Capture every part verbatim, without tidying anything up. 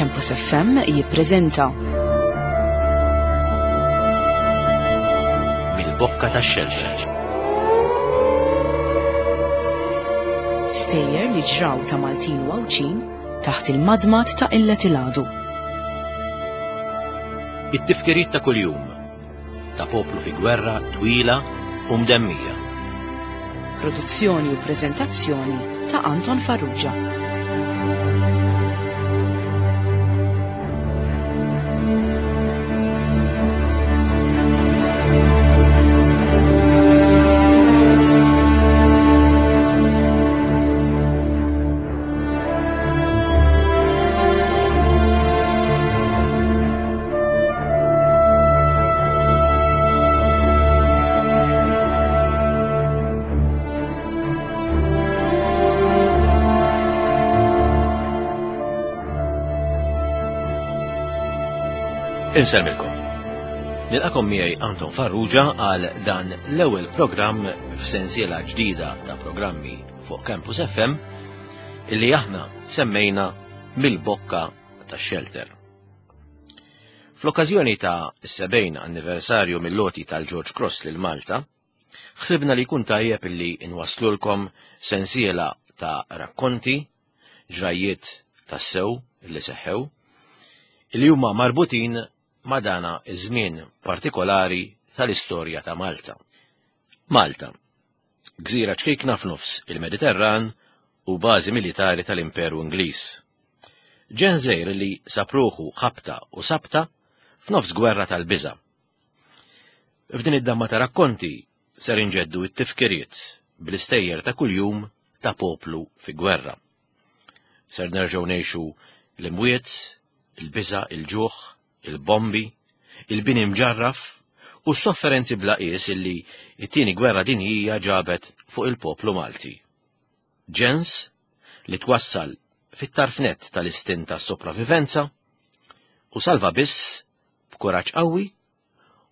Campus F M jippreżenta Mill-Bokka tax-Xelxel. Stejjer li ġraw ta' Maltin u Għawdxin taħt il-madmad ta' Illet il-Għadu. It-tifkiriet ta' kuljum ta' poplu fi gwerra twila u mdemmija. Produzzjoni u preżentazzjoni ta' Anton Farrugia. Insellmilkom. Nilqakom miegħi Anton Farrugia għal dan l-ewwel programm f'sensiela ġdida ta' programmi fuq Campus F M illi aħna semmejna Mill-Bokka tax-Shelter. Fl-okkażjoni ta' sebgħin anniversarju mill-loti tal-George Cross lil Malta, ħsibna li jkun tajjeb illi nwaslulkom sensiela ta' rakkonti, ġrajiet tassew illi seħħew, illi huma marbutin ma' dana iż-żmien partikolari tal-istorja ta' Malta. Malta, gżira ċkejkna f'nofs il-Mediterran u bażi militari tal-Imperu Ingliż. Ġen żgħir li sapruħu ħabta u sabta f'nofs gwerra tal-biża'. F'din id-damma ta' rakkonti ser inġeddu t-tifkiriet bl-istejjer ta' kuljum ta' poplu fi gwerra. Ser nerġgħu ngħixu l-imwiet, il-biża', il-ġuħ, il-bombi, il-bini mġarraf u s-sofferenzi bla qies illi t-tieni gwerra dinjija ġabet fuq il-poplu Malti. Ġens li twassal fit-tarfnet tal-istint tas-sopravivenza u salva biss b'kuraġġ qawwi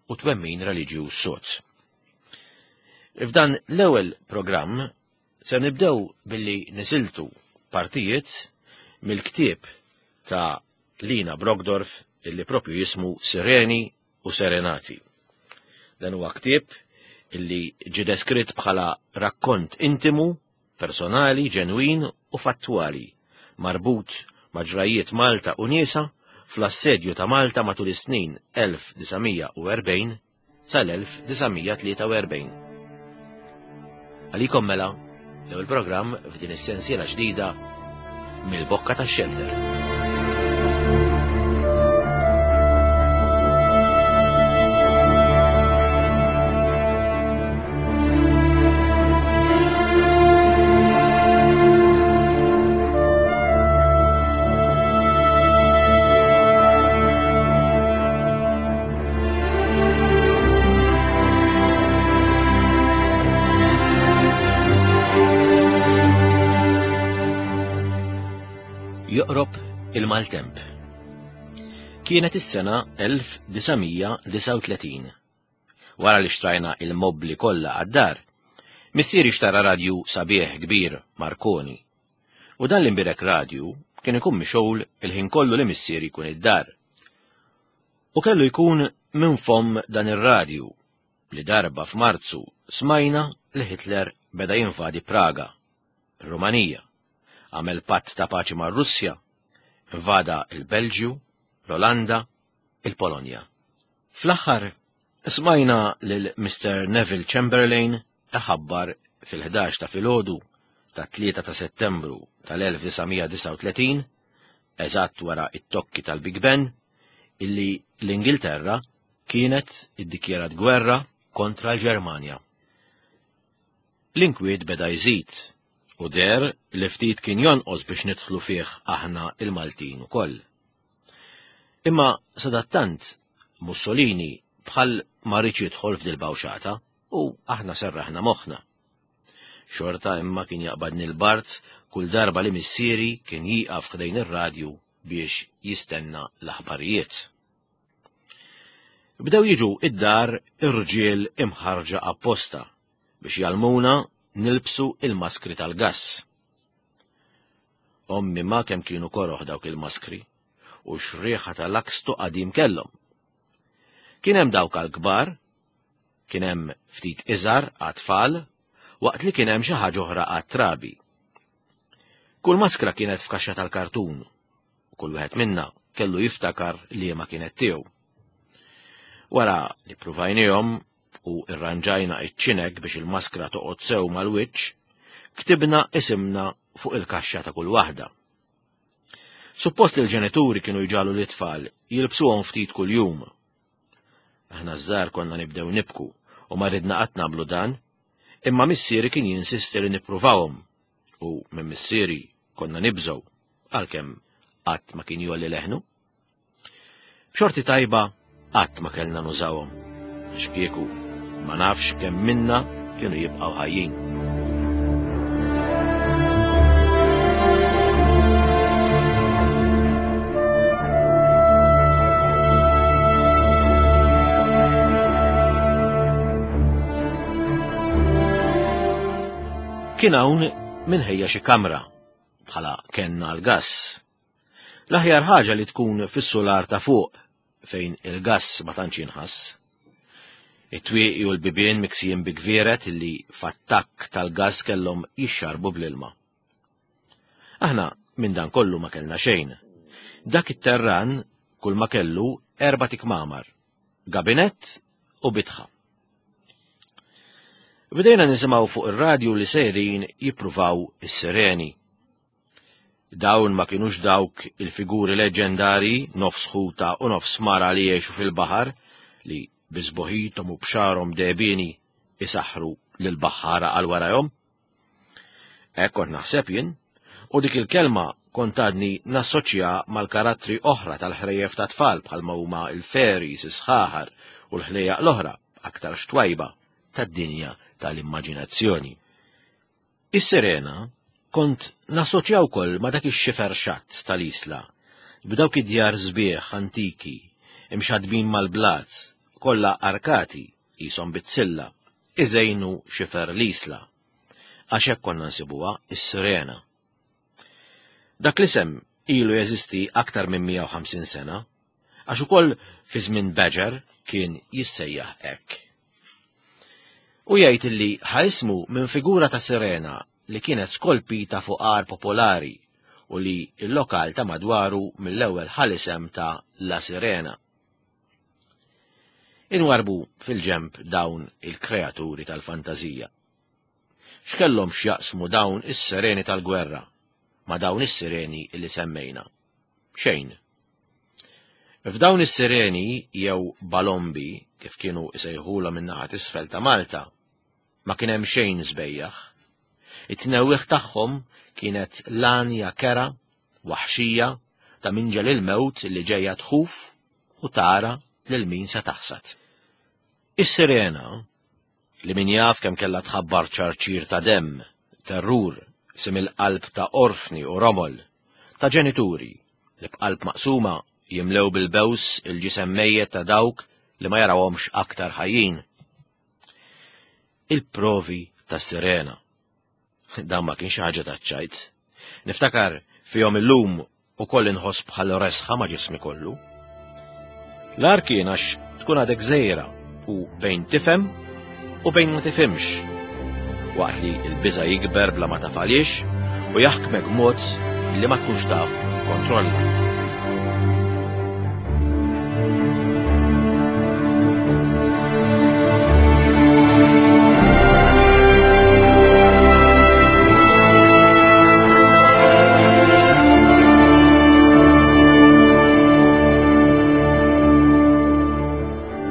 u twemmin reliġjuż sod. F'dan l-ewwel programm ser nibdew billi nisiltu partijiet mill-ktieb ta' Lina Brockdorff illi propju jismu Sireni u Serenati. Dan huwa ktieb illi ġie deskritt bħala rakkont intimu, personali, ġenwin u fattwali, marbut ma' ġrajiet Malta u niesa fl-assedju ta' Malta matul is-snin elf disa' mija u erbgħin sal-elf disa' mija tlieta u erbgħin. Għalikom mela l-ewwel programm f'din is-sensiela ġdida Mill-Bokka tax-Shelter. Joqrob il-maltemp. Kienet is-sena elf disa' mija disa' u tletin. Wara li xtrajna il-mobli kollha għad-dar, missieri xtara radju sabiħ kbir Marconi. U dan l-imbirek radju kien ikun mixgħul il-ħin kollu li missieri jkun id-dar. U kellu jkun minn fomm dan ir-radju li darba f'Marzu smajna li Hitler beda jinvadi Praga, ir-Rumanija, għamel patt ta' paċi mar-Russja, invada il-Belġju, l-Olanda, il-Polonja. Fl-aħħar smajna lil Mister Neville Chamberlain iħabbar fil-ħdax ta' filgħodu ta' tlieta ta' Settembru tal-elf disa' mija disa' u tletin, eżatt wara it-tokki tal-Big Ben, illi l-Ingilterra kienet iddikjarat gwerra kontra l-Ġermanja. L-inkwiet beda jżid u der li ftit kien jonqos biex nidħlu fih aħna il-Maltin ukoll. Imma sadattant Mussolini bħal ma riedx jidħol f'dil-bawxata u aħna serraħna moħħna. Xorta imma kien jaqbadni l-bart kull darba li missieri kien jieqaf ħdejn ir-radju biex jistenna l-aħbarijiet. Bdew jiġu id-dar irġiel imħarġa apposta biex jgħallmuna nilbsu il-maskri tal-gass. Ommi ma kemm kienu koroħ dawk il-maskri, u x'riħa tal-akstu qadim kellhom. Kien hemm dawk għall-kbar, kien hemm ftit iżgħar għat-tfal, waqt li kien hemm xi ħaġa oħra għat-trabi. Kull maskra kienet f'kaxxa tal-kartun, u kull wieħed minna kellu jiftakar liema kienet tiegħu. Wara li pruvajnihom u irranġajna iċ-ċineg biex il-maskra toqgħod sew mal-wiċċ, ktibna isimna fuq il-kaxxa ta' kull waħda. Suppost li l-ġenituri kienu jġalu l-itfal jilbsuhom ftit kuljum. Aħna żgħar konna nibdew nibku u ma ridna qatt nagħmlu dan, imma missieri kien jinsisti li nippruvawhom u minn missieri konna nibżgħu għalkemm qatt ma kien jgħolli leħnu. B'xorti tajba qatt ma kellna nużawhom, għax kieku ma nafx kemm minna kienu jibqgħu ħajjin. Kien hawn min ħejja xi kamra bħala kenna l-gass. L-aħjar ħaġa li tkun fis-sular ta' fuq fejn il-gass ma tantx jinħass. It-twieqi u l-bibien miksijin bi gvieret li f'attakk tal-gass kellhom jixxarbu bl-ilma. Aħna minn dan kollu ma kellna xejn. Dak it-terran kull ma kellu erba' tikmamar, gabinett u bitħa. Bdejna nisimgħu fuq ir-radju li sejrin jippruvaw is-sireni. Dawn ma kinux dawk il-figuri leġendari nofs ħuta u nofs mara li jgħixu fil-baħar li bi sbuħithom u b'xagħarhom dehbieni isaħħru lill-baħħara għal warajhom. Hekk kont naħseb jien, u dik il-kelma kont għadni nassoċja mal-karattri oħra tal-ħrejjef ta' tfal bħalma huma l-fairies, is-sħaħar u l-ħlejjaq l-oħra aktar xtwajba tad-dinja tal-immaġinazzjoni. Is-sirena kont nassoċja wkoll ma' dak ix-xifer xatt tal-isla, b'dawk id-djar sbieħ antiki, imxadbin mal-blat, kollha arkati qishom bizzilla, iżejnu xifer l-isla. Għax hekk konna nsibuha is-sirena. Dak l-isem ilu jeżisti aktar minn mija u ħamsin sena, għax ukoll fi żmien Badger kien jissejjaħ hekk. U jgħid li ħa ismu minn figura ta' sirena li kienet skolpita fuq għar popolari u li l-lokal ta' madwaru mill-ewwel ħal isem ta' La Sirena. Inwarbu fil-ġemp dawn il-kreaturi tal-fantażija. X'kellhom x'jaqsmu dawn is-sireni tal-gwerra ma' dawn is-sireni li semmejna? Xejn. F'dawn is-sireni jew balombi, kif kienu isejħulhom min-naħa t'isfel ta' Malta, ma kien hemm xejn sbejjaħ. It-tnewwieħ tagħhom kienet lanja kera, waħxija, ta' minġel il-mewt li ġejja tħuf u tara lil min se taħsad. Is-sirena, li min jaf kemm kellha tħabbar ċarċir ta' demm, terrur, sim il-qalb ta' orfni u romol, ta' ġenituri li b'qalb maqsuma jimlew bil-bews il-ġisem mejjet ta' dawk li ma jarawhomx aktar ħajjin. Il-provi tas-sirena. Dan ma kienx ħaġa taċ-ċajt. Niftakar fihom illum ukoll inħoss bħal resħa ma' ġismi kollu. L-ar kien għax tkun għadek żgħira u bejn tifhem u bejn ma tifhimx, waqt li l-biża' jikber bla ma taf għaliex u jaħkmek mod li ma tkunx taf kontrolla.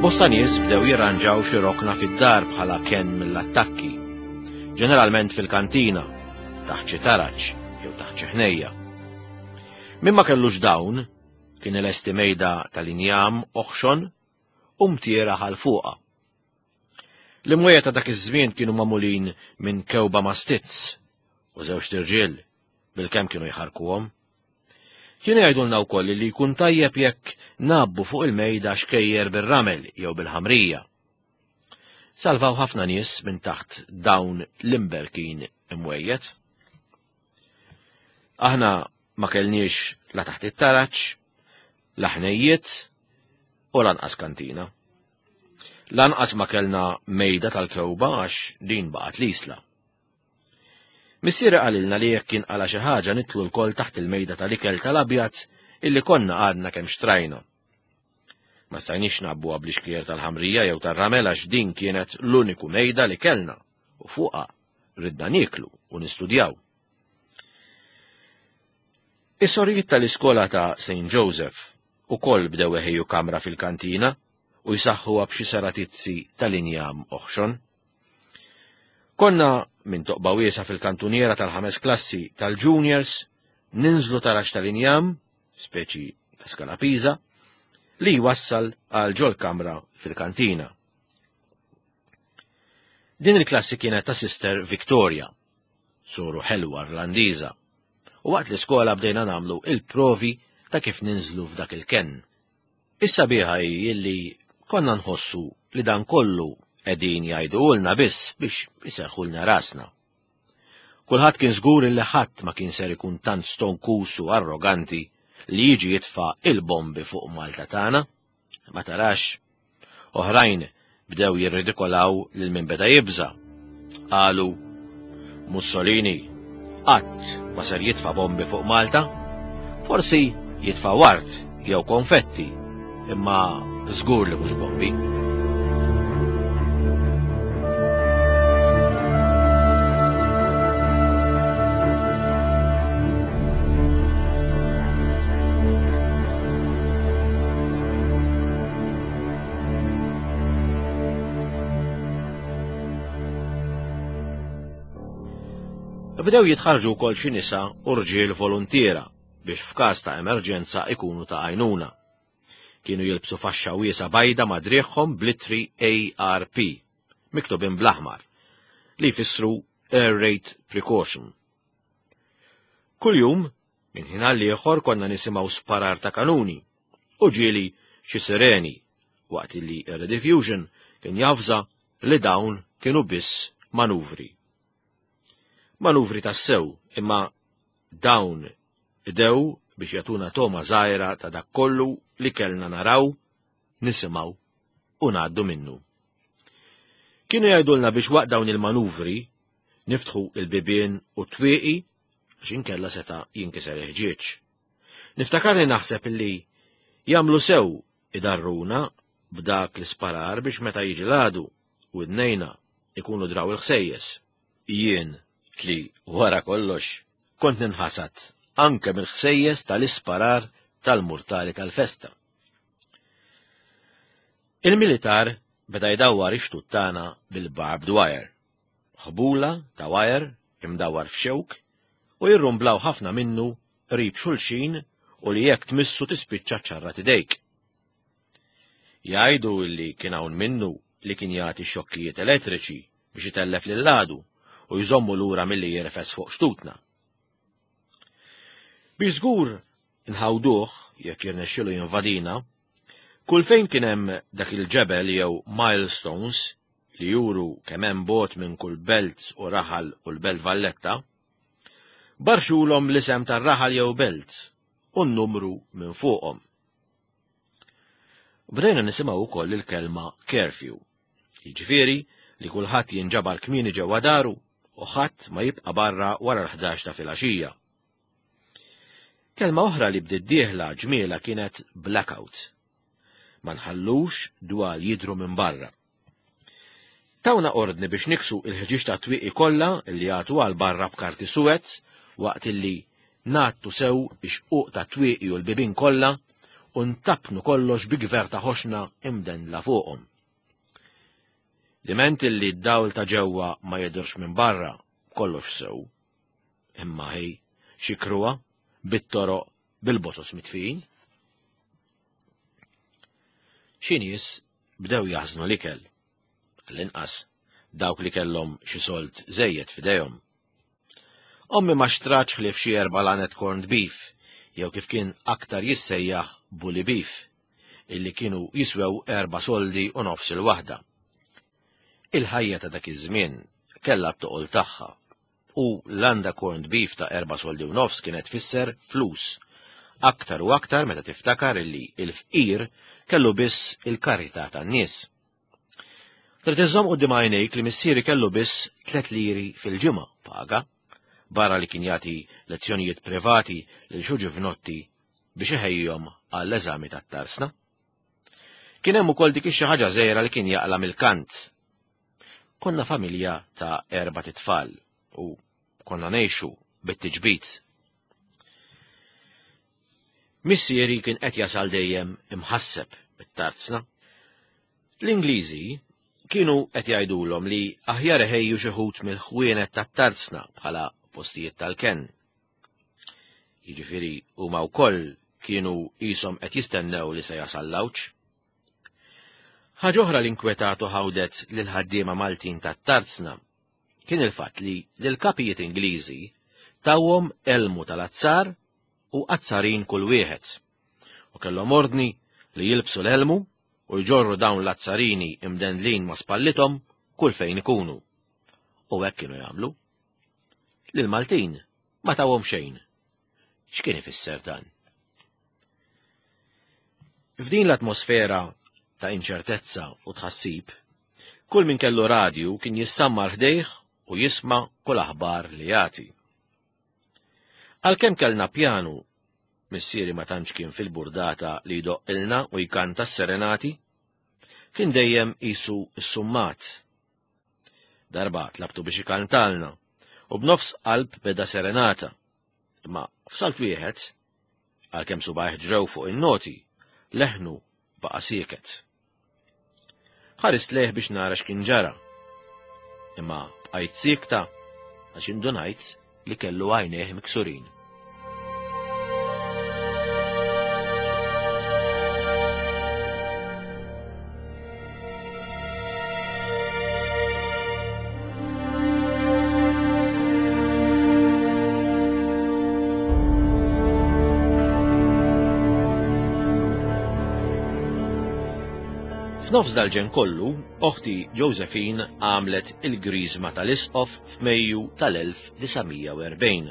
Bosta nies bdew jirranġaw xi rokna fid-dar bħala kenn mill-attakki, ġeneralment fil-kantina, taħt xi taraġ jew taħt xi ħnejja. Min ma kellux dawn, kien ilesti mejda tal-injam oħxon u mtiera ħal fuqha. L-imwejja ta' dak iż-żmien kienu magħmulin minn kewba ma' stizz u żewġ tirġiel bil-kemm kienu jħarkuhom. Kienu jgħidulna wkoll li jkun tajjeb jekk nabbu fuq il-mejda xkejjer bir-ramel jew bil-ħamrija. Salvaw ħafna nies minn taħt dawn l-imberkin imwejjed. Aħna ma kellniex la taħt it-taraġ, La ħnejjiet u lanqas kantina. Lanqas ma kellna mejda tal-kewba għax din baqgħet l-isla. Missieri qalilna li jekk jinqala xi ħaġa nitlu lkoll taħt il-mejda tal-ikel tal-abjad illi konna għadna kemm xtrajna. Ma stajniex nabbuha bl-ixkier tal-ħamrija jew tar-ramel għax din kienet l-uniku mejda li kellna u fuqha ridna nieklu u nistudjaw. Is-sorijiet tal-iskola ta' Saint Joseph ukoll bdew iħejju kamra fil-kantina u jsaħħuha b'xi saratizzi tal-injam oħxon. Konna minn toqba wiesa fil-kantuniera tal-ħames klassi tal-juniors ninżlu taraġ tal-injam, speċi ta' skala Pisa, li jwassal għal ġol kamra fil-kantina. Din il-klassi kienet ta' Sister Victoria, soru ħelwa Irlandiża, u waqt l-iskola bdejna nagħmlu il-provi ta' kif ninżlu f'dak il-kenn. Is-sabiħa hi li konna nħossu li dan kollu qegħdin jgħidulna biss biex iserħulna rasna. Kulħadd kien żgur li ħadd ma kien ser ikun tant stonkus u arroganti li jiġi jitfa' il-bombi fuq Malta tagħna. Ma tarax, oħrajn bdew jirridikolaw lil min beda jibża. Qalu, Mussolini qatt ma ser jitfa' bombi fuq Malta, forsi jitfa' ward jew konfetti, imma żgur li mhux bombi. Bdew jitħarġu wkoll xi nisa u rġiel voluntiera biex f'każ ta' emerġenza ikunu ta' għajnuna. Kienu jilbsu faxxa wiesa bajda ma' driegħhom bl-ittri A R P, miktubin bl-aħmar, li jfissru Air Raid Precaution. Kuljum, minn ħin għal ieħor konna nisimgħu sparar ta' kanuni u ġieli xi sireni, waqt li r-rediffusion kien jafża li dawn kienu biss manuvri. Manuvri tassew, imma dawn idew biex jagħtuna toma żgħira ta' dak kollu li kellna naraw, nisimgħu u ngħaddu minnu. Kienu jgħidulna biex waqt dawn il-manuvri niftħu il-bibien u t-twieqi għax inkella seta' jinkiser il-ħġieġ. Niftakarni naħseb illi jagħmlu sew idarruna b'dak l-isparar biex meta jiġi l-għadu u id-nejna ikunu draw il-ħsejjes. Jien li wara kollox kont ninħasad anke mill-ħsejjes tal-isparar tal-murtali tal-festa. Il-militar beda jdawwar ix-xtut tagħna bil-barbed wire, ħbula ta' wire imdawwar f'xewk u jirrumblaw ħafna minnu qrib xulxin u li jekk tmissu tispiċċa ċarrat idejk. Jgħidu li kien hawn minnu li kien jagħti xokkijiet elettriċi biex itellef lil-għadu u jżommu lura milli jirfes fuq xtutna. Biex żgur nħawduh jekk jirnexxielu jinvadina, kull fejn kien hemm dak il-ġebel jew milestones li juru kemm hemm bot minn kull belt u raħal u l-belt Valletta, barxulhom l-isem tar-raħal jew belt u n-numru minn fuqhom. Bdejna nisimgħu wkoll il-kelma curfew, jiġifieri li kulħadd jinġabar kmieni ġewwa daru u ħadd ma jibqa' barra wara l-ħdax ta' filgħaxija. Kelma oħra li bdiet dieħla ġmiela kienet blackout. Ma nħallux dwal jidhru minn barra. Tawna ordni biex niksu il-ħġieġ ta' twieqi kollha li jagħtu għal barra b'karti suwed waqt illi ngħattu sew ix-xquq ta' twieqi u l-bibien kollha u ntapnu kollox bi gverta ħoxna imdendla fuqhom. Diment illi d-dawl ta' ġewwa ma jidhirx minn barra, kollox sew. Imma hi xi kruha bit-toroq bil-boċos mitfijin. Xi nies bdew jaħżnu l-ikel, għall-inqas dawk li kellhom xi sold żejjed f'idejhom. Ommi ma xtratx ħlief xi erba' lanet corned beef, jew kif kien aktar jissejjaħ bully beef, illi kienu jiswew erba' soldi u nofs il-waħda. Il-ħajja ta' dak iż-żmien kellha t-toqol tagħha u l-landa corned beef ta' erba' soldi u nofs kienet tfisser flus Aktar u aktar meta tiftakar illi il-fqir kellu biss il-karità tan-nies. Trid iżżomm quddiem għajnejk li missieri kellu biss tliet liri fil-ġimgħa paga, barra li kien jagħti lezzjonijiet privati lil xi ġuvnotti biex iħejjihom għall-eżami tat-tarsna. Kien hemm ukoll dik ix-xi ħaġa żgħira li kien jaqla' mill-kant. Konna familja ta' erbat itfal u konna ngħixu bit-tiġbid. Missieri kien qed jasal dejjem imħasseb bit-tarzna. L-Ingliżi kienu qed jgħidulhom li aħjar iħejju xi ħut mill-ħwienet tat-tarzna bħala postijiet tal-kenn. Jiġifieri huma wkoll kienu qishom qed jistennew li se jasal l-għawġ. Ħaġa oħra li nkwetatu ħawdet lil ħaddiema Maltin tat-tarzna kien il-fatt li lill-kapijiet Ingliżi tawhom elmu tal-azzar u azzarin kull wieħed, u kellhom ordni li jilbsu l-elmu u jġorru dawn l-azzarini imdendlin ma' spallithom kull fejn ikunu. U hekk kienu jagħmlu. Lil-Maltin ma tawhom xejn. X'kien ifisser dan? F'din l-atmosfera ta' inċertezza u tħassib, kull min kellu radju kien jissammar ħdejh u jisma' kull aħbar li jagħti. Għalkemm kellna pjanu, missieri ma tantx kien fil-burdata li jdoqqilna u jkanta s-serenati, kien dejjem qisu s-summat. Darba tlabtu biex ikantalna u b'nofs qalb beda serenata. Imma f'salt wieħed, għalkemm subgħajh ġrew fuq in-noti, leħnu baqa' sieket. Ħarist lejh biex nara x'kien ġara. Imma bqajt siekta għax indunajt li kellu għajnejh miksurin. F'nofs dal-ġenn kollu, oħti Josephine għamlet il-griżma tal-isqof f'Mejju tal-elf disa' mija u erbgħin.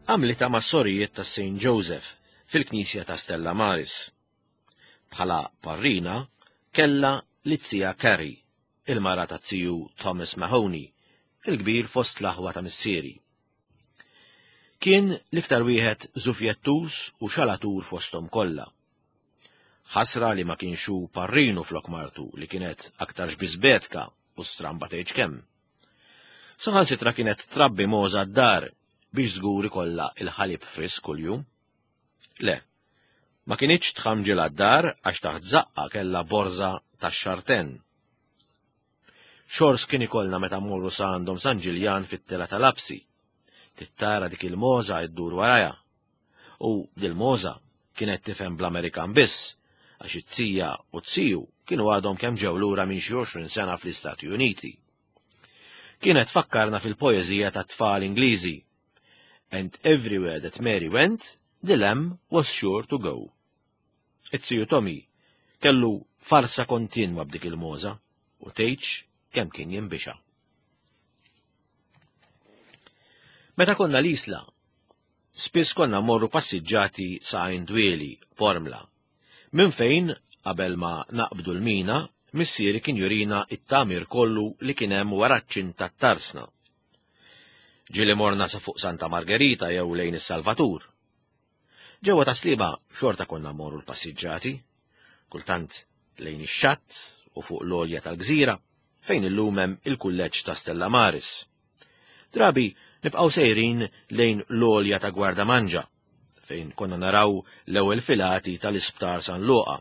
Għamlitha mas-sorijiet ta' Saint Joseph fil-Knisja ta' Stella Maris. Bħala parrina kellha l-zija Carrie, il-mara ta' ziju Thomas Mahoney, il-kbir fost l-aħwa ta' missieri. Kien l-iktar wieħed żufjettus u xalatur fosthom kollha. Ħasra li ma kienx hu parrinu flok martu li kienet aktar xbiżbetka u stramba tgħidx kemm. Saħansitra kienet trabbi mogħża d-dar biex żgur ikollha il-ħalib frisk kuljum. Le, ma kinitx tħamġilha d-dar għax taħt żaqqa kellha borża tax-xarten. Xors kien ikollna meta mmorru sa għandhom San Ġiljan fit-tela tal-Apsi. Tittara dik il-mogħża ddur warajha. U dil-mogħża kienet tifhem bl-Amerikan biss, għax it-tija u t-tiju kienu għadhom kemm ġew lura minn xi għoxrin sena fl-Istati Uniti. Kienet fakkarna fil-poeżija ta' tfal Ingliżi. And everywhere that Mary went, the lamb was sure to go. It-tiju Tommy kellu farsa kontinwa b'dik il-mogħża u tgħidx kemm kien jinbixa. Meta konna l-Isla, spiss konna mmorru passiġġati sa għajn Dwieli, Pormla. Minn fejn, qabel ma naqbdu l-mina, missieri kien jurina it-tamir kollu li kien hemm wara ċ-ċint tat-tarsna. Ġieli morna sa fuq Santa Margherita jew lejn is-Salvatur. Ġewwa ta' Sliema xorta konna mmorru l-passiġġati, kultant lejn ix-xatt u fuq l-għolja tal-gżira, fejn illum hemm il-kulleġġ ta' Stella Maris. Drabi nibqgħu sejrin lejn l-għolja ta' Gwardamanġa, fejn konna naraw l-ewwel filati tal-Isptar San Luqa.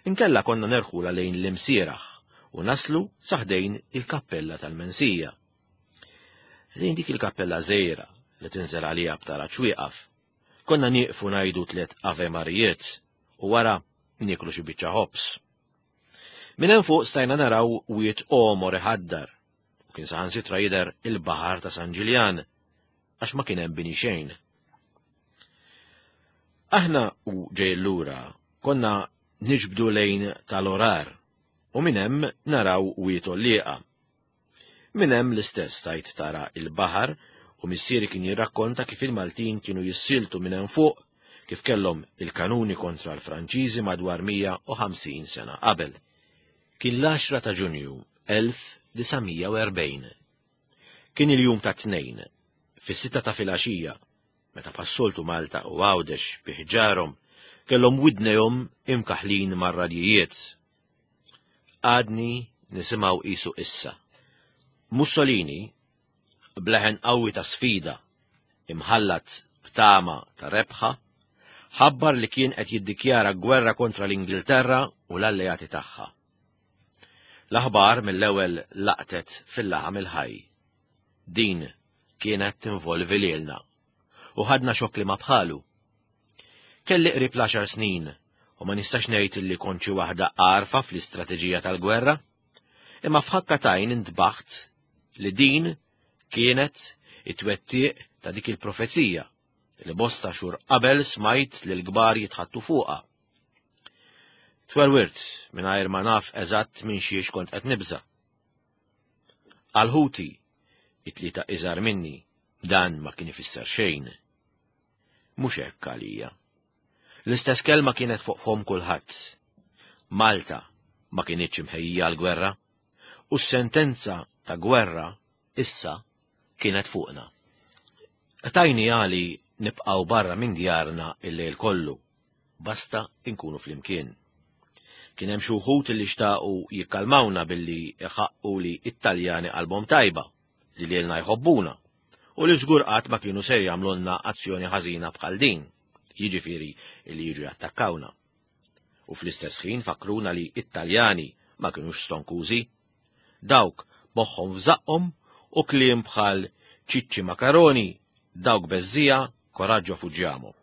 Inkella konna nerħula lejn l-Imsieraħ u naslu saħdejn il-kappella tal-Mensija. Lejn dik il-kappella żgħira li tinżel għalija b'taraġ wieqaf, konna nieqfu ngħidu tliet Ave Marijiet u wara nieklu xi biċċa ħobż. Minn hemm fuq stajna naraw wied għomor iħaddar u kien saħansitra jidher il-baħar ta' San Ġiljan għax ma kien hemm bini xejn. Aħna u ġejjin lura konna niġbdu lejn tal-orar u minn hemm naraw wied għollieqa. Minn hemm l-istess tajt tara il-baħar u missieri kien jirrakkonta kif il-Maltin kienu jissiltu minn hemm fuq kif kellhom il-kanuni kontra l-Franċiżi madwar mija u ħamsin sena qabel. Kien l-għaxra ta' Ġunju elf disa' mija u erbgħin. Kien il-jum ta' tnejn, fis-sitta ta' filgħaxija, meta passoltu Malta u Għawdex bi ħġarhom kellhom widnejhom imkaħlin mar-radjijiet. Għadni nisimgħu qisu issa. Mussolini, bleħen qawwi ta' sfida, imħallat b'tama ta' rebħa, ħabbar li kien qed jiddikjara gwerra kontra l-Ingilterra u l-alleati tagħha. L-aħbar mill-ewwel laqtet fil-laħam il-ħaj. Din kienet tinvolvi lilna u ħadna xokk li ma bħalu. Kelli qrib l-għaxar snin u ma nistax ngħid li kont xi waħda għarfa fl-istrateġija tal-gwerra, imma f'ħakka tajn intbaħt li din kienet it-twettiq ta' dik il-profezija li bosta xhur qabel smajt li l-kbar jitħattu fuqha. Twerwirt mingħajr ma naf eżatt minn xiex kont qed nibża'. Għal ħuti, it-tlieta iżgħar minni, dan ma kien ifisser xejn. Mhux hekk għalija. L-istess kelma kienet fuq fom kulħadd. Malta ma kienitx imħejjija għall-gwerra, u s-sentenza ta' gwerra issa kienet fuqna. Tajni għali nibqgħu barra minn djarna il-lejl kollu, basta inkunu flimkien. Kien hemm xi wħud li xtaqu jikkalmawna billi iħaqqu li it-Taljani qalbhom tajba, li lilna jħobbuna, u li żgur qatt ma kienu ser jagħmlulna azzjoni ħażina bħal din, jiġifieri li jiġu jattakkawna. U fl-istess ħin fakruna li it-Taljani ma kinux stonkużi, dawk moħħhom f'żaqqhom u kliem bħal ċiċċi makaroni, dawk beżżija, koraġġo fuġġjamo.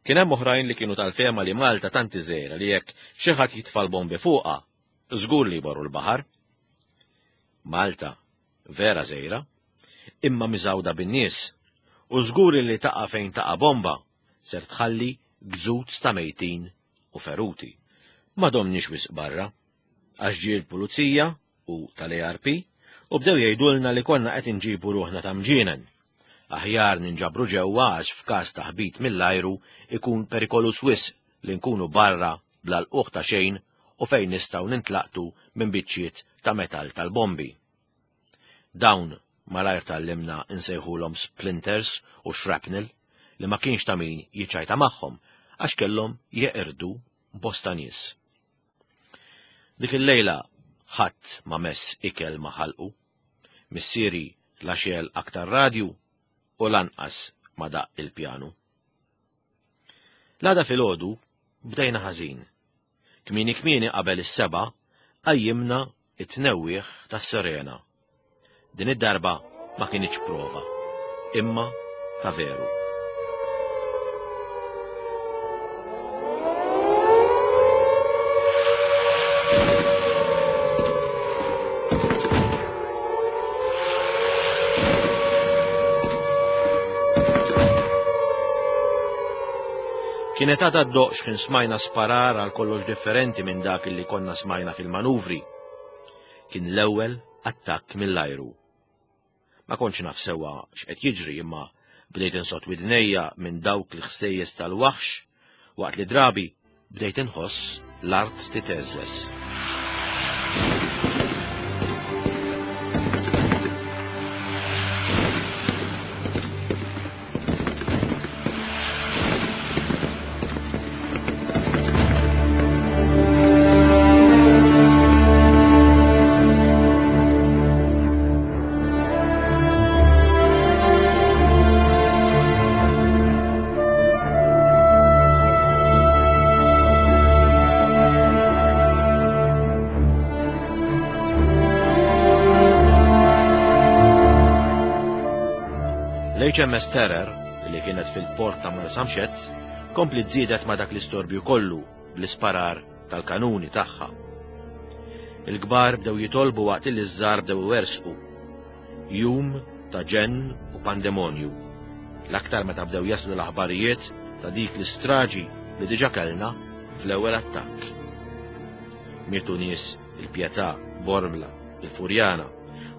Kien hemm oħrajn li kienu tal-fehma li Malta tant iżgħira li jekk xi ħadd jitfa' l-bombi fuqha, żgur li jmorru l-baħar. Malta vera żgħira, imma miżgħuda bin-nies, u żgur li taqa' fejn taqa' bomba ser tħalli gżuz ta' mejtin u feruti. Ma domniex wisq barra, għax ġie l-pulizija u tal-A R P u bdew jgħidulna li konna qed inġibu ruħna ta' mġienen. Aħjar ninġabru ġewwa għax f'każ ta' ħbit mill-ajru ikun perikolus wisq li nkunu barra bla lquħ ta' xejn u fejn nistgħu nintlaqtu minn biċċiet ta' metal tal-bombi. Dawn malajr tallimna nsejħulhom splinters u shrapnel li ma kienx ta' min jiċċajta magħhom għax kellhom jeqirdu bosta nies. Dik il-lejla ħadd ma mess ikel ma ħalqu, missieri la xel aktar radju u lanqas ma daq il-pjanu. L-għada filgħodu bdejna ħażin. Kmieni kmieni qabel is-seba' qajjimna it-tnewwieħ tas-sirena. Din id-darba ma kienx prova, imma ta' veru. Kienet għadha ddoqx kien smajna sparar għal kollox differenti minn dak li konna smajna fil-manuvri. Kien l-ewwel attakk mill-ajru. Ma kontx naf sewwa x'qed jiġri imma bdejt insott widnejja minn dawk l-ħsejjes tal-waħx waqt li drabi bdejt inħoss l-art titeżżeż. L-H M S Terror, li kienet fil-port ta' Marsamxett, kompli żiedet ma' dak l-istorbju kollu bl-isparar tal-kanuni tagħha. Il-kbar bdew jitolbu waqt li ż-żgħar bdew iwersqu. Jum ta' ġenn u pandemonju. L-aktar meta bdew jaslu l-aħbarijiet ta' dik l-istraġi li diġà kellna fl-ewwel attakk. Mietu nies il-Pietà, Bormla, il-Furjana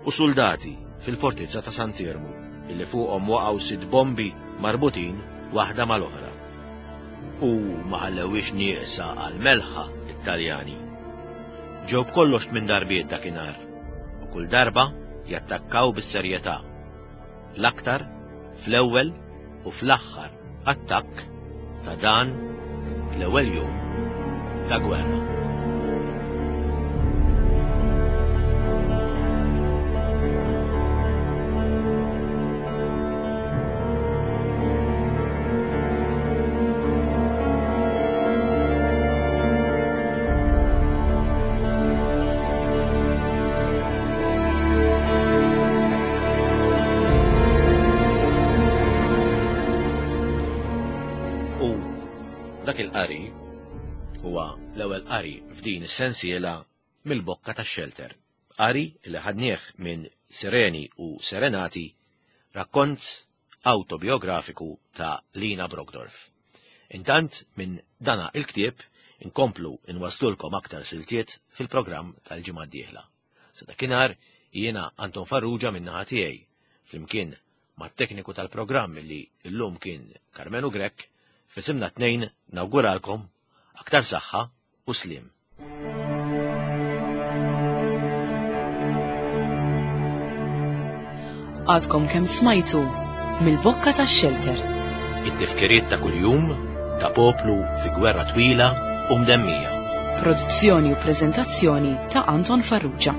u soldati fil-fortizza ta' Sant'Iermu. illi fuqhom waqgħu sitt bombi marbutin waħda mal-oħra. U ma ħallewhiex nieqsa għal melħa it-Taljani. Ġew b'kollox tmien darbiet dakinhar u kull darba jattakkaw bis-serjetà. L-aktar fl-ewwel u fl-aħħar attakk ta' dan l-ewwel jum ta' gwerra. U dak il-qari huwa l-ewwel qari f'din is-sensiela mill-bokka tax-xelter. Qari li ħadnieh minn Sireni u Serenati, rakkont autobiografiku ta' Lina Brockdorff. Intant minn dana il-ktieb inkomplu inwaslulkom aktar siltiet fil-programm tal-ġimgħa d-dieħla. Sa dakinhar jiena Anton Farrugia min-naħa tiegħi flimkien mat-tekniku tal-programm li llum kien Karmenu Grech, f'isimna tnejn nawguralkom aktar saħħa u sliem. Għadkom kemm smajtu mill-bokka tax-xelter. It-tifkiriet ta' kuljum ta' poplu fi gwerra twila u mdemmija. Produzzjoni u preżentazzjoni ta' Anton Farrugia.